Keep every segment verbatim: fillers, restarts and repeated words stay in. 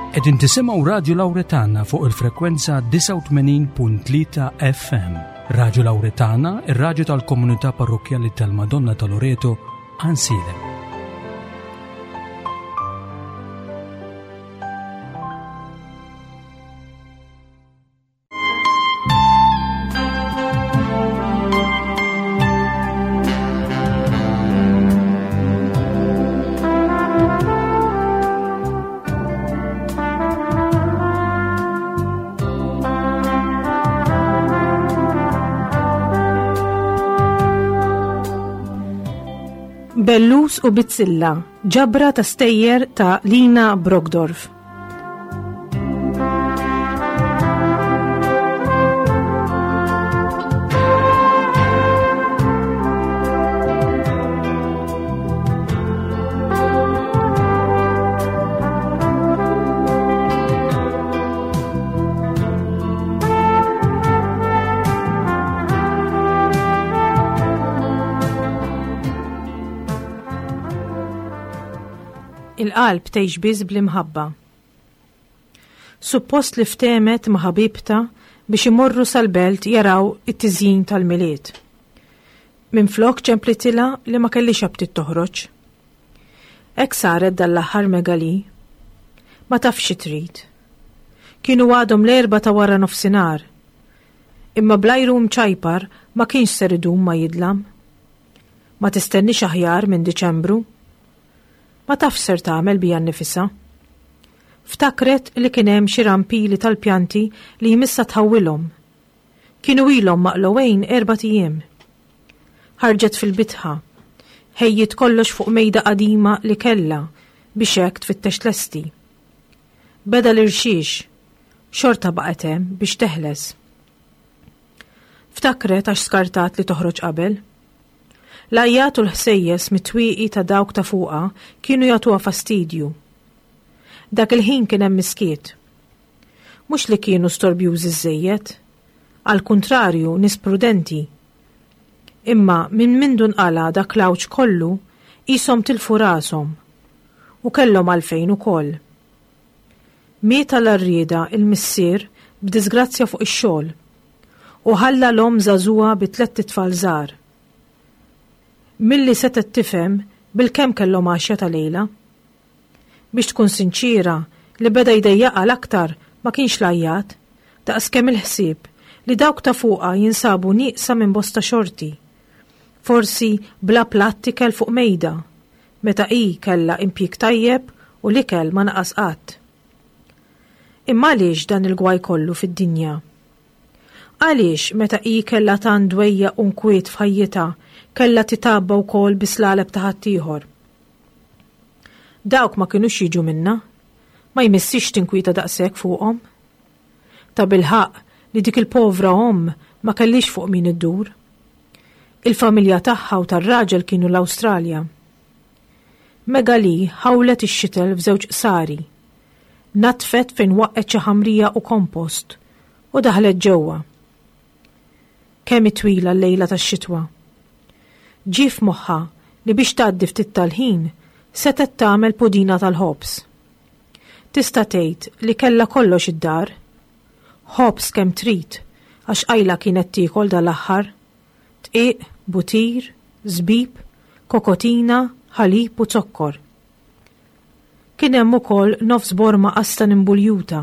Qegħdin tisimgħu Radio Lauretana fuq il-frekwenza disgħa u tmenin punt tlieta F M. Radio Lauretana, ir-radju tal-komunità parrokkjali tal-Madonna ta' Loreto, Għajnsielem. Bellus u Bizzilla, ġabra ta' stejjer ta' Lina Brockdorff. Il-qalb tgħix biss bl-imħabba. Suppost li ftemet ma' ħabibta biex imorru sal-belt jaraw it-tiżjin tal-Milied. Minflok ċemplitilha li ma kellix aptit toħroġ. Hekk saret dal-aħħar Megali. Ma tafx xi trid. Kienu għadhom l-erba ta' wara nofsinhar. Imma blajru mċajpar ma kienx ser idum ma jidlam. Ma tistennix aħjar minn Diċembru. Ma tafx ser tagħmel bija nnifisha. Ftakret li kien hemm xi rampili tal-pjanti li jmissa tħawwilhom. Kienu ilhom maqlowejn erbat ijiem. Ħarġet fil-bitħa. Ħejjit kollox fuq mejda qadima li kellha biex hekk tfittex lesti. Beda l-irxiex, xorta baqgħet hemm biex teħles. Ftakret għax skartat li toħroġ qabel. L-għajjat u l-ħsejjes mit-twieqi ta' dawk ta' fuqha kienu jagħtuha fastidju. Dak il-ħin kien hemm miskiet. Mhux li kienu storbjużi żejjed, għal kuntrarju nies prudenti. Imma minn mindu nqala dak l-għawġ kollu qishom tilfu rashom u kellhom għalfejn ukoll. Miet għall-arrieda il-missier b'disgrazzja fuq ix-xogħol u ħalla l-omm żagħżugħa bi tlett itfal żgħar. Milli setgħet tifhem bil-kemm kellhom għaxja ta' lejla. Biex tkun sinċira, li beda jdejjaqha l-aktar ma kienx l-għajjat, daqskemm il-ħsieb li dawk ta' fuqha jinsabu nieqsa minn bosta xorti. Forsi bla platt ikel fuq mejda, meta hi kellha impjieg tajjeb u l-ikel ma naqas qatt. Imma għaliex dan il-gwaj kollu fid-dinja? Għaliex meta hi kellha tant dwejja u nkwiet f'ħajjitha kellha titabba wkoll bislaleb ta' ħaddieħor? Dawk ma kinux jiġu minna, ma jmissix tinkwieta daqshekk fuqhom. Ta' bilħaq li dik il-povra omm ma kellix fuq min iddur. Il-familja tagħha u tar-raġel kienu l-Awstralja. Megali ħawlet ix-xitel f'żewġ qsari. Natfet fejn waqgħet xi ħamrija u kompost u daħlet ġewwa. Kemm twila l-lejla tax-xitwa. Ġie f'moħħha li biex tgħaddi ftit tal-ħin setgħet tagħmel pudina tal-ħobż. Tista' tgħid li kellha kollox id-dar. Ħobż kemm trid għax qajla kienet tiekol dal-aħħar. Dqiq, butir, żbib, kokotina, ħalib u zokkor. Kien hemm ukoll nofs borma qastan imbuljuta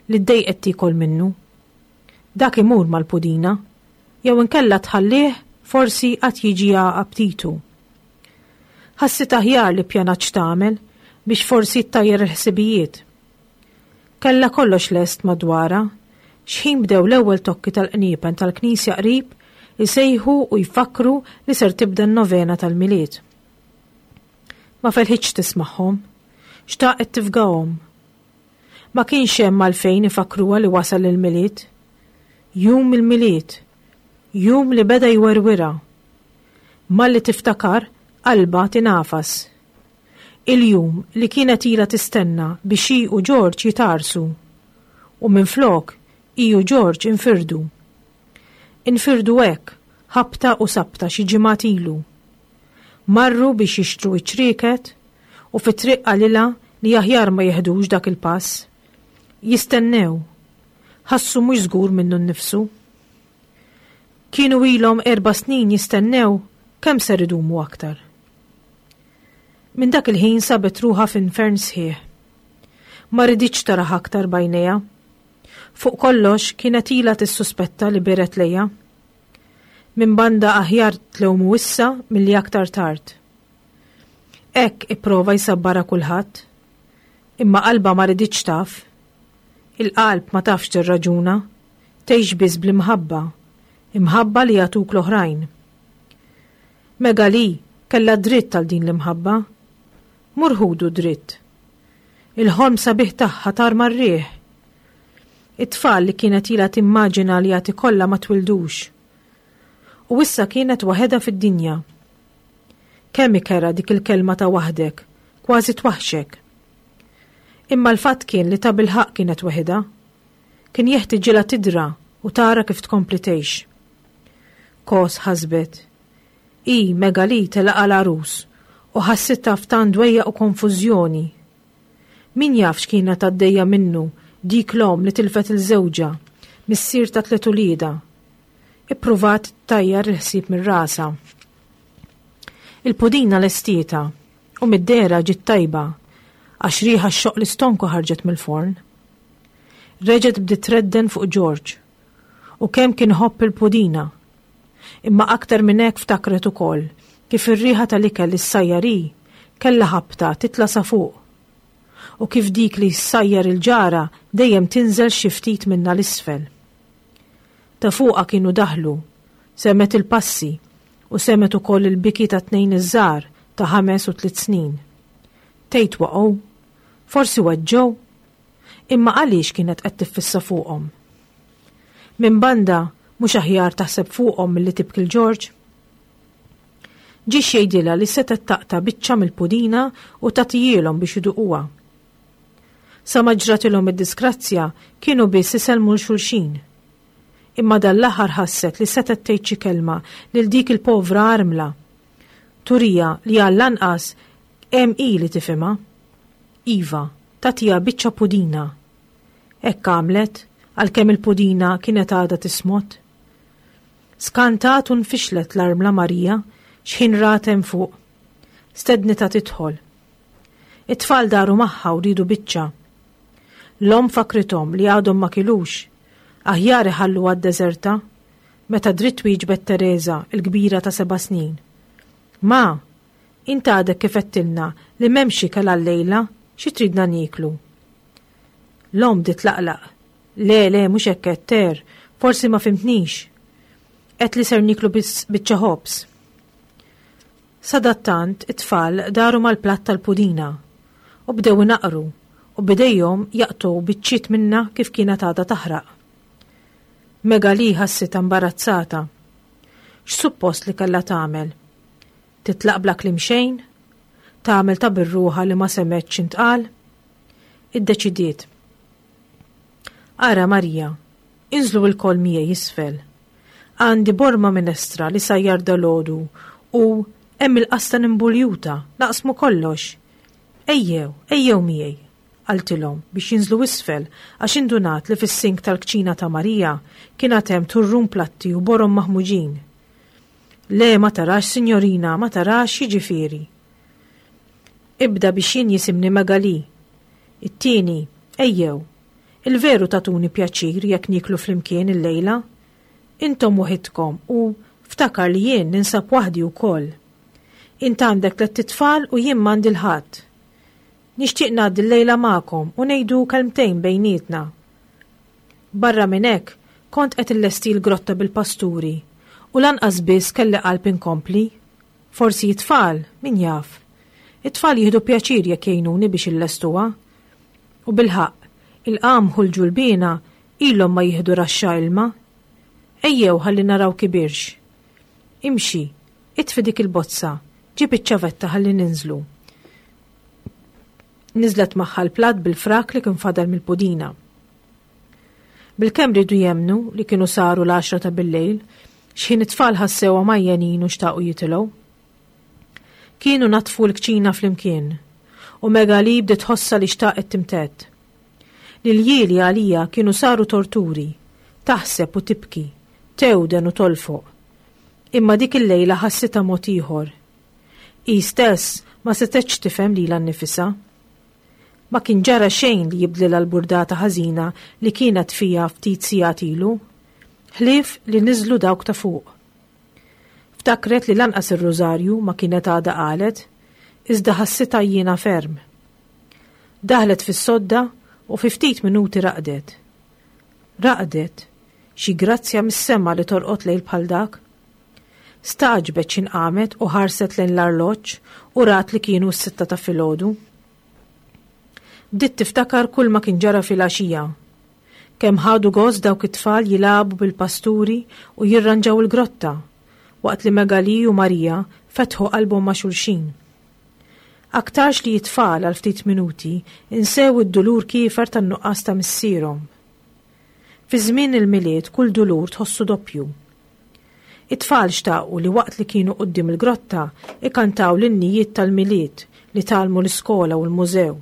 li ddejqet tiekol minnu. Dak imur mal-pudina, jew inkella tħallih forsi qatt jiġi aptitu. Ħassit aħjar li pjanat x'tagħmel biex forsi ttajjer il-ħsibijiet. Kellha kollox lest madwarha, x'ħin bdew l-ewwel tokki tal-qniepen tal-knisja qrib isejħu u jfakru li ser tibda n-novena tal-Milied. Ma felħitx tismagħhom, xtaqet tifgahom. Ma kienx hemm għalfejn ifakruha li wasal il-Milied. Jum il-Milied, jum li beda jwerwira. Malli tiftakar, qalba tinafas. Il-jum li kienet ilha tistenna biex hi u George jitarsu. U minflok, hi u George infirdu. Infirdu hekk, ħabta u sabta xi ġimgħat ilu. Marru biex jixtru iċ-ċrieket u fit-triq qalilha li aħjar ma jeħdux dak il-pass. Jistennew. Ħassu mhux żgur minnu nnifsu. Kienu ilhom erba' snin jistennew, kemm ser idumu aktar? Minn dak il-ħin sabet ruħha f'infern sħiħ. Ma riditx taraha aktar b'għajnejha. Fuq kollox kienet ilha tissuspetta li beret lejha. Minn banda aħjar tlewmu issa milli aktar tard. Hekk ipprova jsabbara kulħadd. Imma qalba ma riditx taf. Il-qalb ma tafx tirraġuna, tgħix biss bl-imħabba, imħabba li jagħtuk l-oħrajn. Megali kellha dritt għal din l-imħabba. Mur ħudu dritt. Il-ħolm sabiħ tagħha tar mar-riħ. It-tfal li kienet ilha timmaġina li għad ikollha ma twildux. U issa kienet waħedha fid-dinja. Kemm ikerha dik il-kelma ta' waħdek, kważi twaħxek. Imma l-fatt kien li tabilħaqq kienet waħedha. Kien jeħtiġilha tidra u tara kif tkompli tgħix. Kos ħasbet. I Megali telaqa l-għarus u ħassitha f'tant dwejjaq u konfużjoni. Min jaf x'kienet għaddejja minnu dik l-omm li tilfet il-żewġa, missier ta' tliet uliedha. Ippruvat tajjar il-ħsieb minn rasha. Il-pudina lestietha u mid-dehra ġiet tajba għax riħa xoq l-istonku ħarġet mill-forn. Reġgħet bdiet tredden fuq George u kemm kien iħobb il-pudina. Imma aktar minn hekk ftakret ukoll kif ir-riħa tal-ikel li ssajjar hi kellha ħabta titla' sa fuq. U kif dik li ssajjar il-ġara dejjem tinżel xi ftit minnha l-isfel. Ta' fuqha kienu daħlu, semgħet il-passi u semgħet ukoll il-biki ta' tnejn iż-żgħar ta' ħames u tliet snin. Tgħid waqgħu, forsi weġġgħu, imma għaliex kienet qed tiffissa fuqhom? Minn banda mhux aħjar taħseb fuqhom milli tibki l-Ġorġ? Ġie x'jgħidilha li setgħet taqta' biċċa mill-pudina u tagħtihielhom biex iduquha. Sa ma ġratilhom id-disgrazzja kienu biss isellmu 'l xulxin. Imma dan l-aħħar ħasset li setgħet tgħid xi kelma lil dik il-povra armla. Turija li għall-anqas hemm hi li tifhimha. Iva, tagħtiha biċċa pudina. Hekk għamlet għalkemm il-pudina kienet għadha tismot. Skantat u nfixlet l-armla Marija x'ħin rat hemm fuq. Stednitha tidħol. It-tfal daru magħha u riedu biċċa. L-omm fakrithom li għadhom ma kilux, aħjar iħallu għad-deżerta, meta dritt wieġbet Teresa, il-kbira ta' seba' snin. Ma, int għadek kif għedtilna li m'hemmx ikel għal-lejla, xi tridna nieklu? L-omm bdiet tlaqlaq. Le, le, mhux hekk qed ter, forsi ma fimtnix. Għedt li ser nieklu biss biċċa ħobż. Sadattant it-tfal daru mal-platt tal-pudina u bdew inaqru u bidejhom jaqtgħu biċċiet minna kif kienet għadha taħraq. Megali ħassitha imbarazzata. X'suppost li kellha tagħmel? Titlaq bla kliem xejn? Tagħmel ta' birruħa li ma semgħetx x'intqal? Iddeċidiet. Ara Marija, inżlu lkoll miegħi isfel. Għandi borma minestra li sajjar dalgħodu u hemm il-qastan imbuljuta, naqsmu kollox. Ejjew, ejjew miegħi, qaltilhom biex jinżlu isfel għax indunat li fis-sink tal-kċina ta' Marija kien għad hemm turrun platti u borom maħmuġin. Le, ma tarax, signorina, ma tarax, jiġifieri. Ibda biex jien jisimni Megali. It-tieni, ejjew, il-veru tatuni pjaċir jekk nieklu flimkien illejla. Intom waħidkom u ftakar li jien ninsab waħdi wkoll. Int għandek tlett itfal u jien m'għandi 'l ħadd. Nixtieq ngħaddi l-lejla magħkom u ngħidu kelmtejn bejnietna. Barra minn hekk, kont qed illesti l-grotta bil-pasturi u lanqas biss kelli qalb inkompli. Forsi it-tfal, min jaf. It-tfal jieħdu pjaċir jekk jgħinuni biex illestuha. U bilħaqq, il-qamħ u l-ġulbina ilhom ma jieħdu raxxa ilma. Ejjew ħalli naraw kibirx. Imxi, itfi dik il-bozza, ġib iċ-ċavetta ħalli ninżlu. Niżlet magħha l-platt bil-frak li kien fadal mill-pudina. Bilkemm riedu jemmnu li kienu saru l-għaxra ta' bil-lejl, x'ħin it-tfal ħassewha għajjenin u xtaqu jitilgħu. Kienu natfu l-kċina flimkien u Megali bdiet tħossha li xtaqet timtedd. L-iljieli għaliha kienu saru torturi, taħseb u tibki, tewden u tolfoq. Imma dik il-lejla ħassitha mod ieħor. Hi stess ma setgħetx tifhem lilha nnifisha. Ma kien ġara xejn li jibdlilha l-burdata ħażina li kienet fiha ftit sigħat ilu, ħlief li niżlu dawk ta' fuq. Ftakret li lanqas ir-rużarju ma kienet għadha qalet, iżda ħassitha għajjiena ferm. Daħlet fis-sodda u fi ftit minuti raqdet. Raqdet, xi grazzja mis-sema li torqod lejl bħal dak. Stagħġbet x'ħin qamet u ħarset lejn l-arloġġ u rat li kienu s-sitta ta' filgħodu. Bdiet tiftakar kull ma kien ġara fil-għaxija. Kemm ħadu gost dawk it-tfal jilagħbu bil-pasturi u jirranġaw il-grotta, waqt li Megali u Marija fetħu qalbhom ma' xulxin. Aktarx li t-tfal għal ftit minuti insew id-dulur kiefer tan-nuqqas ta' missierhom. Fi żmien il-Milied kull dulur tħossu doppju. It-tfal xtaqu li waqt li kienu quddiem il-grotta ikantaw l-innijiet tal-Milied li tgħallmu l-iskola u l-mużew.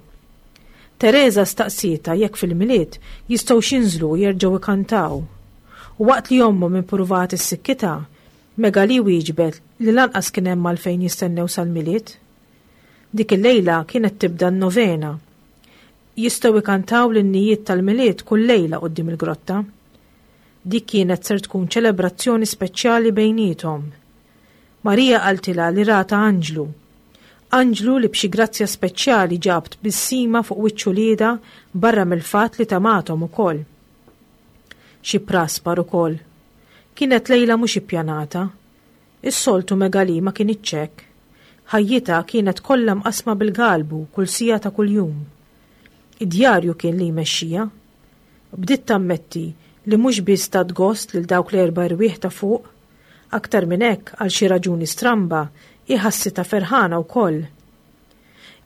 Teresa staqsietha jekk fil-Milied jistgħu jinżlu u jerġgħu ikantaw. U waqt li ommhom ippruvat issikkitha, Megali wieġbet li lanqas kien hemm għalfejn jistennew sal-Milied. Dik il-lejla kienet tibda n-novena. Jistgħu ikantaw l-innijiet tal-Milied kull lejla quddiem il-grotta. Dik kienet ser tkun ċelebrazzjoni speċjali bejniethom. Marija qaltilha li rata anġlu. Anġlu li b'xi grazzja speċjali ġab tbissima fuq wiċċ uliedha barra mill-fatt li tamathom ukoll. Xi praspar ukoll. Kienet lejla mhux ippjanata. Is-soltu Megali ma kinitx hekk. Ħajjitha kienet kollha mqasma bil-galbu kull siegħa ta' kuljum. Id-djarju kien li jmexxija. Bdiet tammetti li mhux biss tat gost lil dawk l-erba' erwieħ ta' fuq, aktar minn hekk għal xi raġuni stramba hi ħassitha ferħana wkoll.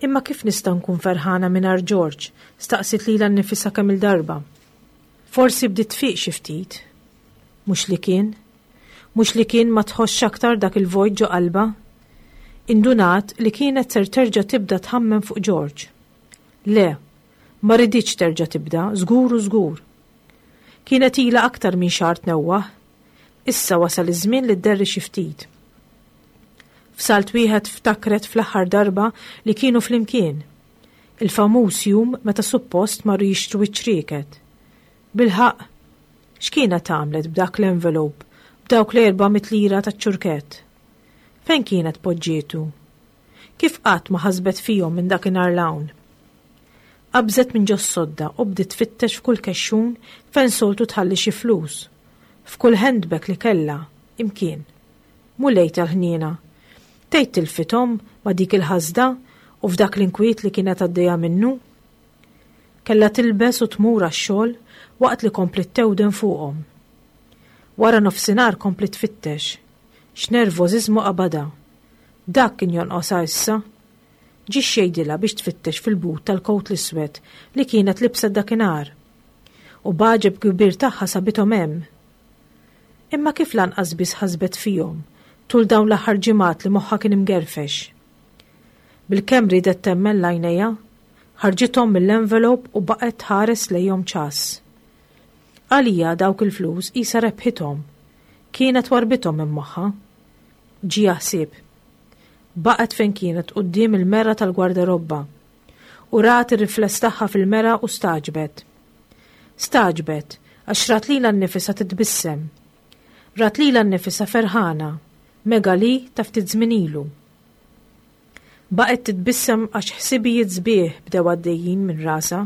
Imma kif nista' nkun ferħana mingħajr George? Staqsit lilha nnifisha kemm il-darba. Forsi bdiet tfiq xi ftit. Mhux li kien. Mhux li kien ma tħossx aktar dak il-vojt ġo qalbha. Indunat li kienet ser terġa' tibda tħammem fuq George. Le, ma riditx terġa' tibda, żgur u żgur. Kienet ilha aktar minn xahar tnewwaħ. Issa wasal iż-żmien li dderri xi ftit. F'salt wieħed ftakret fl-aħħar darba li kienu flimkien. Il-famuż jum meta suppost marru jixtru iċ-ċrieket. Bilħaqq, x'kienet għamlet b'dak l-envelope, b'dawk l-erba' mitt lira taċ-ċurkett? Fejn kienet poġġietu? Kif qatt ma ħasbet fihom minn dakinhar 'l hawn? Qabżet minn ġos-sodda u bdiet tfittex f'kull kexxun fejn soltu tħalli xi flus, f'kull handbag li kellha, imkien. Mulej tal-ħniena. Tgħid tilfithom ma' dik il-ħasda u f'dak l-inkwiet li kienet għaddejja minnu? Kellha tilbes u tmur għax-xogħol waqt li kompliet tewden fuqhom. Wara nofsinhar kompliet tfittex. X'nervożiżmu qabadha. Dak kien jonqosha issa. Ġie x'jgħidilha biex tfittex fil-but tal-kowt l-iswed li kienet libset dakinhar. U b'għaġeb kbir tagħha sabithom hemm. Imma kif lanqas biss ħasbet fihom tul dawn l-aħħar ġimgħat li moħħha kien imgerfex. Bilkemm riedet temmen l-għajnejha, ħarġithom mill-envelope u baqgħet tħares lejhom ċass. Għalija dawk il-flus qisha rebħithom. Kienet warbithom minn moħħha. Ġieha ħsieb. Baqgħet fejn kienet quddiem il-mera tal-gwardarobba u rat ir-rifless tagħha fil-mera u stagħġbet. Stagħġbet għax rat lilha nnifisha titbissem. Rat lilha nnifisha ferħana, Megali ta' ftit żmien ilu. Baqgħet titbissem għax ħsibijiet sbieħ bdew għaddejjin minn rasha.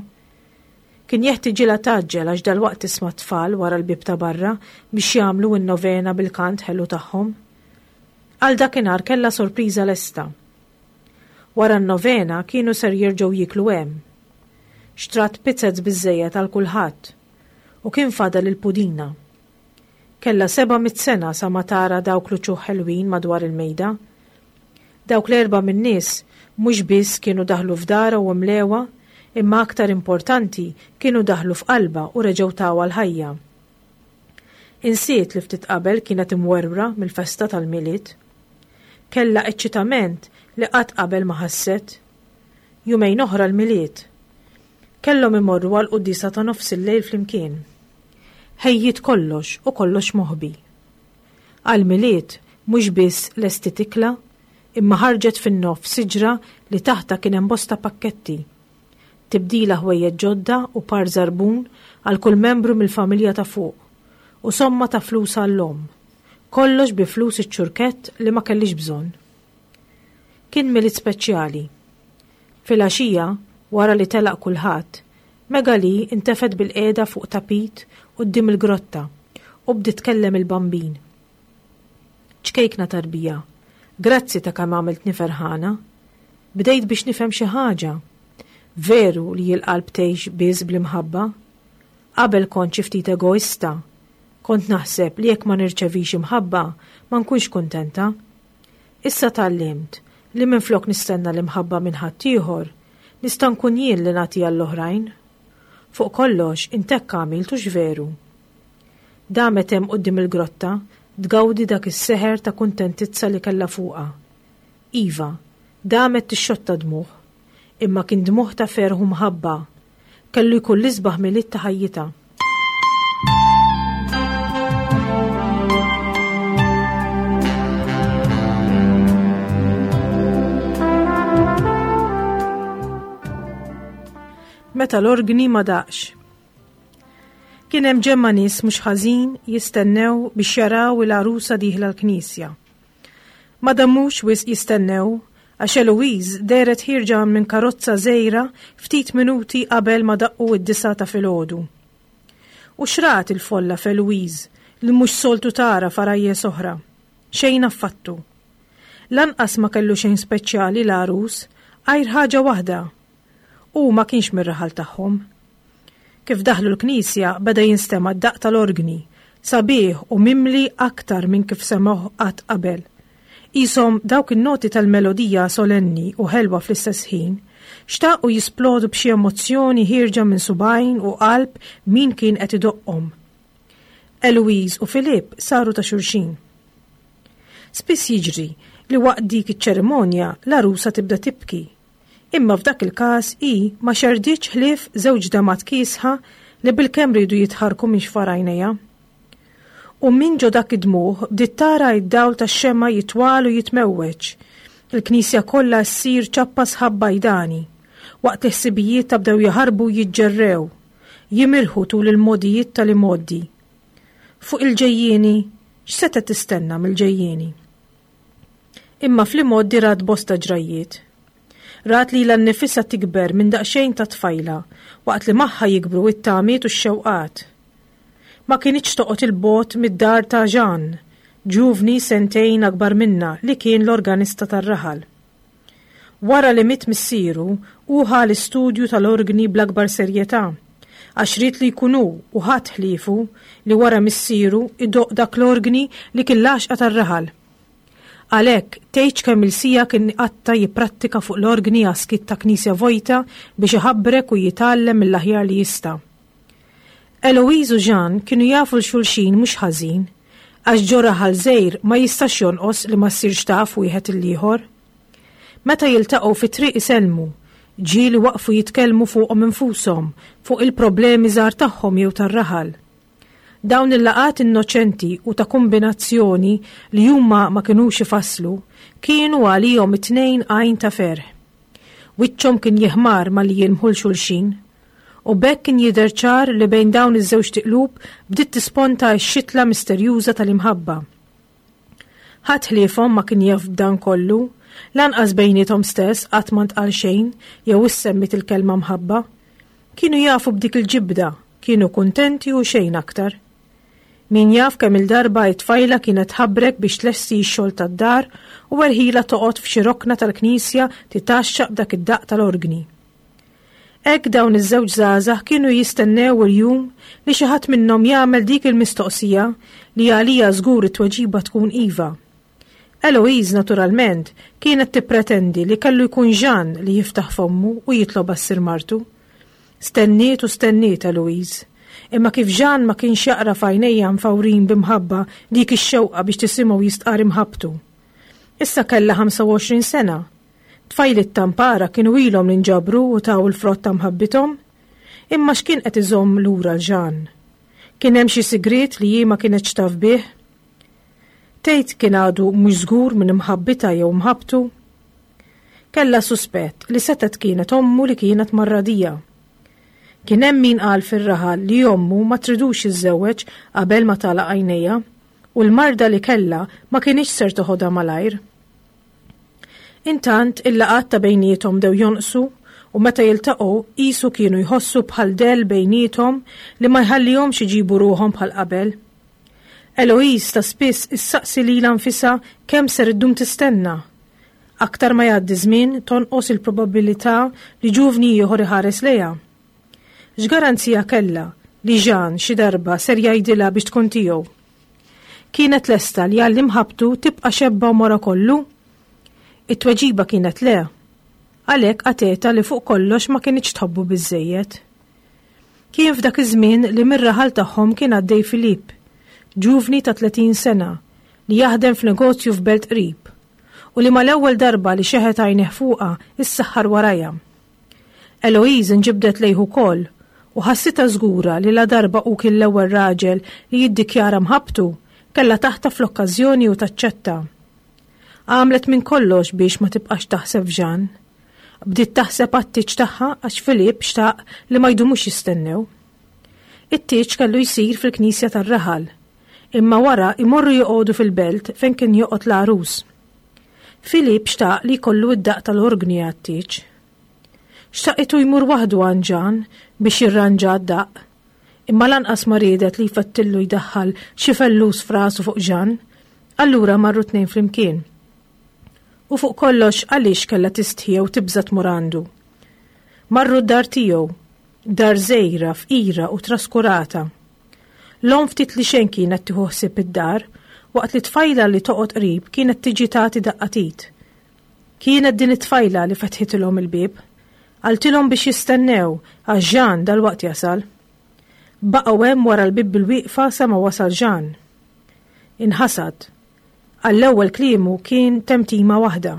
Kien jeħtiġilha tgħaġġel għax dalwaqt tisma' tfal wara l-bieb ta' barra biex jagħmlu n-novena bil-kant ħelu tagħhom. Għal dakinhar kellha sorpriża lesta. Wara n-novena kienu ser jerġgħu jieklu hemm. Xtrat pizzez biżżejjed għal kulħadd u kien fadal il-pudina. Kellha seba' mitt sena sa ma tara dawk l-uċuħ ħelwin madwar il-mejda. Dawk l-erba' min-nies mhux biss kienu daħlu f'darha u mlewha, imma aktar importanti kienu daħlu f'qalbha u reġgħu tawha l-ħajja. Insiet li ftit qabel kienet imwerwra mill-festa tal-Milied. Kellha eċċitament li qatt qabel ma ħasset. Jumejn oħra l-Milied. Kellhom imorru għal quddiesa ta' nofs il-lejl flimkien. Ħejjiet kollox u kollox moħbi. Għall-Milied mhux biss lestiet ikla, imma ħarġet fin-nofs siġra li taħtha kien hemm bosta pakketti. Tibdila ħwejjeġ ġodda u par żarbun għal kull membru mill-familja ta' fuq, u somma ta' flus għall-omm. Kollox bi flus iċ-ċurkett li ma kellix bżonn. Kien Milied speċjali. Filgħaxija, wara li telaq kulħadd, Magali intefgħet bil-qiegħda fuq tapit quddiem il-grotta u bdiet tkellem il-Bambin. Ċkejkna tarbija, grazzi ta' kemm għamiltni ferħana. Bdejt biex nifhem xi ħaġa. Veru li l-qalb tgħix biss bl-imħabba. Qabel kont xi ftit egoista. Kont naħseb li jekk ma nirċevix imħabba ma nkunx kuntenta. Issa tgħallimt li minflok nistenna l-imħabba minn ħaddieħor, nista' nkun jien li nagħtiha l-oħrajn. Fuq kollox int hekk għamilt hux veru. Damet hemm quddiem il-grotta tgawdi dak is-seħer ta' kuntentizza li kellha fuqha. Iva, damet tixxotta dmugħ, imma kien dmugħ ta' ferħ u mħabba. Kellu jkun l-isbaħ Milied ta' ħajjitha. Meta l-orgni ma daqx. Kien hemm ġemma nies mhux ħażin jistennew biex jaraw il-għarusa dieħla l-knisja. Ma damux wisq jistennew għax Eloise dehret ħierġa minn karozza żgħira ftit minuti qabel ma daqqu id-disgħa ta' filgħodu. U x'rat il-folla f'Eloise li mhux soltu tara f'għarajjes oħra? Xejn affattu. Lanqas ma kellu xejn speċjali l-għarus għajr ħaġa waħda. U ma kienx mir-raħal tagħhom. Kif daħlu l-knisja beda jinstema' d-daqq tal-orgni, sabiħ u mimli aktar minn kif semgħuh qatt qabel. Qishom dawk in-noti tal-melodija solenni u ħelwa fl-istess ħin, xtaqu jisplodu b'xi emozzjoni ħierġa minn subgħajn u qalb min kien qed idoqqhom. Eloise u Filip saru ta' xulxin. Spiss jiġri li waqt dik iċ-ċerimonja l-għarusa tibda tibki. Imma f'dak il-każ hi ma xerditx ħlief żewġ damat kiesħa li bilkemm riedu jitħarrku minn xfar għajnejha. U minn ġo dak id-dmugħ bdiet tara d-dawl tax-xemgħa jitwal u jitmewweġ. Il-knisja kollha ssir ċappa sħab bajdani, waqt li ħsibijiet ta' bdew jaħarbu jiġġerrew, jimirħu tul il-modijiet tal-imgħoddi. Fuq il-ġejjieni, x'setgħet tistenna mill-ġejjieni? Imma fl-imgħoddi rat bosta ġrajjiet. Rat lilha nnifisha tikber minn daqsxejn ta' tfajla, waqt li magħha jikbru it-tamiet u x-xewqat. Ma kinitx toqgħod il-bogħod mid-dar ta' Jean, ġuvni sentejn akbar minna li kien l-organista tar-raħal. Wara li miet missieru, hu ħa l-istudju tal-orgni bl-akbar serjetà, għax ried li jkun hu u ħadd ħliefu li wara missieru idoqq dak l-orgni li kien l-għaxqa tar-raħal. Għalhekk, tgħidx kemm il-sija kien qatta jipprattika fuq l-orgni għaskit ta' knisja vojta biex iħabbrek u jitgħallem mill-aħjar li jista'. Eloise u Jean kienu jafu l-xulxin mhux ħażin, għax ġo raħal żgħir ma jistax jonqos li ma ssirx taf wieħed il-ieħor. Meta jiltaqgħu fit-triq isellmu, ġieli waqfu jitkellmu fuqhom infushom, fuq il-problemi żgħar tagħhom jew tar-raħal. Dawn il-laqgħat innoċenti u ta' kombinazzjoni li huma ma kinux ifasslu, kienu għalihom it-tnejn għajn ta' ferħ. Wiċċhom kien jiħmar malli jilmħu l xulxin, u b'hekk kien jidher ċar li bejn dawn iż-żewġ tiqlub bdiet tisponta x-xitla misterjuża tal-imħabba. Ħadd ħliefhom ma kien jaf b'dan kollu, lanqas bejniethom stess qatt ma ntqal xejn jew issemmit il-kelma mħabba. Kienu jafu b'dik il-ġibda, kienu kuntenti u xejn aktar. Min jaf kemm il-darba it-tfajla kienet ħabrek biex tlesti x-xogħol tad-dar u erħila toqgħod f'xi rokna tal-knisja titgħaxxaq b'dak id-daqq tal-orgni. Hekk dawn iż-żewġ żgħażagħ kienu jistennew il-jum li xi ħadd minnhom jagħmel dik il-mistoqsija li għalija żgur it-tweġiba tkun iva. Eloise, naturalment, kienet tippretendi li kellu jkun Jean li jiftaħ fommu u jitlobha ssir martu. Stenniet u stenniet Eloise. Imma kif Jean ma kienx jaqra f'għajnejha mfawrin b'imħabba dik ix-xewqa biex tisimgħu jistqar imħabbtu. Issa kellha ħamsa u għoxrin sena. Tfajliet tampara kienu ilhom li nġabru u taw il-frott ta' mħabbithom. Imma x'kien qed iżomm lura 'l Jean? Kien hemm xi sigriet li hi ma kinetx taf bih? Tgħid kien għadu mhux żgur minn imħabbitha jew mħabbtu? Kellha suspett li setgħet kienet ommu li kienet marradija. Kien hemm min qal fir-raħal li ommu ma tridux jiżżewweġ qabel ma tagħlaq għajnejha u l-marda li kellha ma kinitx ser toħodha malajr. Intant il-laqgħat ta' bejniethom bdew jonqsu u meta jiltaqgħu qisu kienu jħossu bħal dell bejniethom li ma jħallihomx iġibu ruħhom bħal qabel. Eloise ta' spiss issaqsi lilha nfisha kemm ser iddum tistenna. Aktar ma jgħaddi żmien tonqos il-probabilità li ġuvni ieħor iħares lejha. X'garanzija kellha li Jean xi darba ser jgħidilha biex tkun tiegħu? Kienet lesta li għal imħabbtu tibqa' xebba għomorha kollu? It-tweġiba kienet le. Għalhekk qatgħetha li fuq kollox ma kinitx tħobbu biżejjed. Kien f'dak iż-żmien li mir-raħal tagħhom kien għaddej Filip, ġuvni ta' tletin sena, li jaħdem f'negozju f'belt qrib, u li mal-ewwel darba li xeħet għajnejh fuqha issaħħar warajha. Eloise nġibdet lejh ukoll u ħassitha żgura li la darba hu kien l-ewwel raġel li jiddikjara mħabbtu, kellha taħtaf l-okkażjoni u taċċetta. Għamlet minn kollox biex ma tibqax taħseb f'Jean. Bdiet taħseb għat-tieġ tagħha għax Filip xtaq li ma jdumux jistennew. It-tieġ kellu jsir fil-knisja tar-raħal, imma wara imorru joqogħdu fil-belt fejn kien joqgħod l-għarus. Filip xtaq li jkollu id-daqq tal-orgni għat-tieġ. Xtaqitu jmur waħdu għand Jean biex jirranġa d-daqq, imma lanqas ma riedet li jfettillu jdaħħal xi fellus f'rasu fuq Jean, allura marru tnejn flimkien. U fuq kollox għaliex kellha tistħi jew tibża' tmur għandu. Marru d-dar tiegħu, dar żgħira, fqira u traskurata. L-omm ftit li xejn kienet tieħu ħsieb id-dar, waqt li tfajla li toqgħod qrib kienet tiġi tagħti daqqa t'id. Kienet din it-tfajla li fetħitilhom il-bieb, qaltilhom biex jistennew għax Jean dalwaqt jasal. Baqgħu hemm wara l-bieb bil-wieqfa sa ma wasal Jean. Inħasad. Għall-ewwel kliemu kien temtima waħda.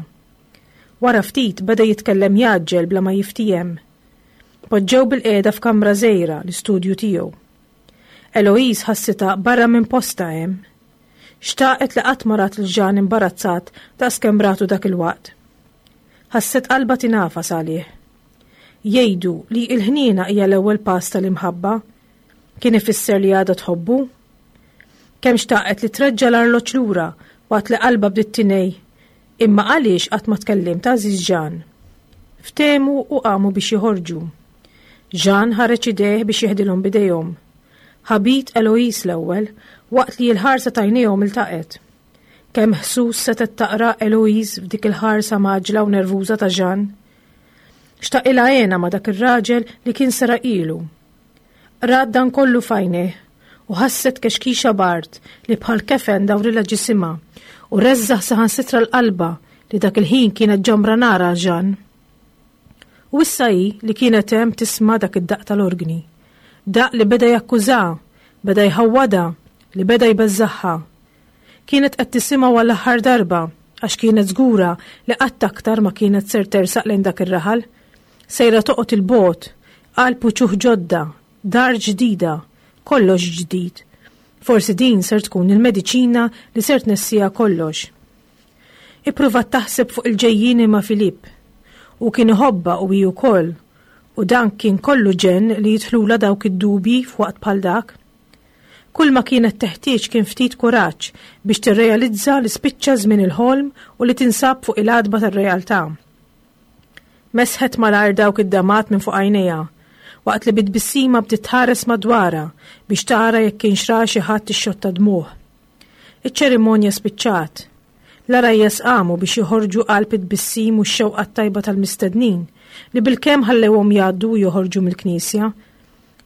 Wara ftit beda jitkellem jaġġel bla ma jiftiehem. Poġġew bil-qiegħda f'kamra żgħira l-istudju tiegħu. Eloise ħassitha barra minn posta hemm. Xtaqet li qatt ma rat lil Jean imbarazzat daqs kemm ratu dak il-waqt. Ħasset qalbha tingħafas għalih. Jgħidu li l-ħniena hija l-ewwel pass tal-imħabba. Kien ifisser li għadha tħobbu? Kemm xtaqet li treġġa' l-arloġġ lura waqt li qalbha bdiet tinej, imma għaliex qatt ma tkellimt għażiż Jean? Ftehmu u qamu biex joħorġu. Jean ħareġ idejh biex jeħdilhom bidejhom. Ħabit Eloise l-ewwel waqt li l-ħarsa t'għajnejhom iltaqet. Kemm ħsus setgħet taqra Eloise f'dik il-ħarsa maġla u nervuża ta' Jean. Xtaqilha għena ma' dak ir-raġel li kien seraqilu. Rat dan kollu f'għajnejh u ħasset kexkixa bard li bħal kefen dawrilha ġisimha u reżżaħ saħansitra l-qalba li dak il-ħin kienet ġamra nar għal Jean. U issa hi li kienet hemm tisma' dak id-daqq tal-orgni. Daqq li beda jakkuża, beda jħawwadha, li beda jbeżżaħħa. Kienet qed tisimgħu għall-aħħar darba għax kienet żgura li qatt aktar ma kienet ser tersaq lejn dak ir-raħal. Sejra toqgħod il-bogħod, qalb uċuħ ġodda, dar ġdida, kollox ġdid. Forsi din ser tkun il-mediċina li ser tnessija kollox. Ippruvat taħseb fuq il-ġejjieni ma' Filip. U kien iħobbha u hi wkoll, u dan kien kollu ġenn li jidħlula dawk id-dubji f'waqt bħal dak. Kull ma kienet teħtieġ kien ftit kuraġġ biex tirrealizza li spiċċa żmien il-ħolm u li tinsab fuq il-għatba tar-realtà. Mesħet malajr dawk id-damat minn fuq għajnejha, waqt li bit-tbissima bdiet tħares madwarha biex tara jekk kienx ra xi ħadd ixxotta dmuh. Iċ-ċerimonja spiċċat. L-għarajjes qamu biex joħorġu qalb it-tbissim u x-xewqa tajba tal-mistednin li bilkemm ħallewhom jgħaddu u joħorġu mill-knisja.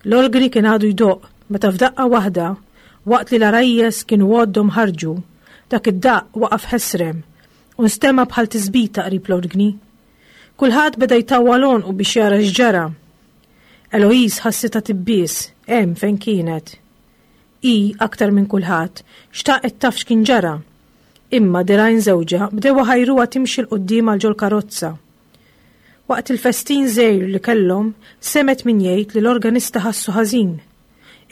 L-orgni kien għadu jdoqq meta f'daqqa waħda, waqt li l-għarajjes kienu għoddhom ħarġu, dak id-daqq waqaf ħesrem u nstema' bħal tisbita qrib l-orgni. Kulħadd beda jtawwal għonqu biex jara x'ġara. Eloise ħassitha tibbies hemm fejn kienet. Hi aktar minn kulħadd xtaqet taf x'kien ġara. Imma dirgħajn żewġha bdew ħajruha timxi 'l quddiem għal ġol karozza. Waqt il-festin żgħir li kellhom, semgħet min jgħid li l-organista ħassu ħażin,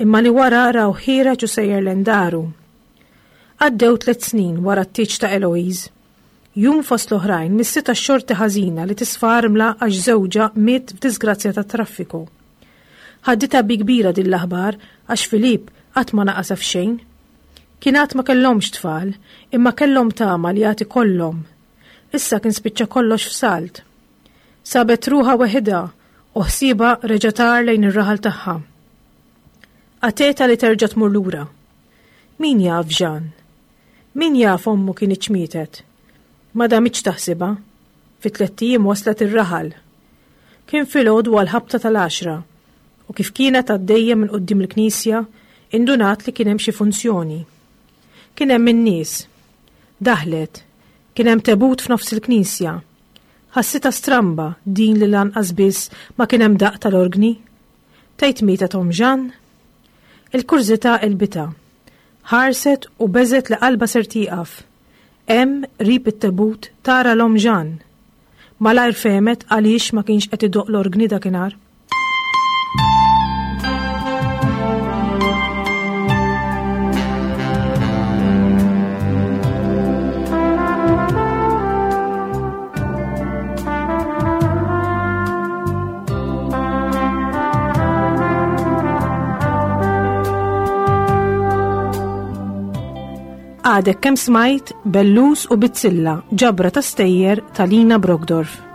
imma li wara raw ħiereġ u sejjer lejn daru. Għaddew tliet snin wara t-tieġ ta' Eloise. Jum fost l-oħrajn missitha x-xorti ħażina li tisfa armla għax żewġha miet f'disgrazzja tat-traffiku. Ħaditha bi kbira din l-aħbar għax Filip qatt ma naqasha f'xejn. Kien għad ma kellhomx tfal, imma kellhom tama li għad ikollhom. Issa kien spiċċa kollox f'salt. Sabet ruħha weħidha u ħsiebha reġa' tar lejn ir-raħal tagħha. Għateta li terġa' tmur lura. Min jaf Jean? Min jaf ommu kinitx mietet? Ma damitx taħsibha. Fi tlett ijiem waslet ir-raħal. Kien filgħodu għall-ħabta tal-għaxra u kif kienet għaddejja minn quddiem il-knisja, indunat li kien hemm xi funzjoni. Kien hemm in-nies. Daħlet. Kien hemm tebut f'nofs il-knisja. Ħassitha stramba din li lanqas biss ma kien hemm daqq tal-orgni. Tgħid mietet omm Jean? Il-kurżità għelbitha. Ħarset u beżgħet li qalbha ser tieqaf. Hemm qrib it-tebut tara 'l omm Jean. Malajr fehmet għaliex ma kienx qed idoqq l-orgni dakinhar. Għadek kemm smajt Bellus u Bizzilla, ġabra ta' stejjer ta' Lina Brockdorff.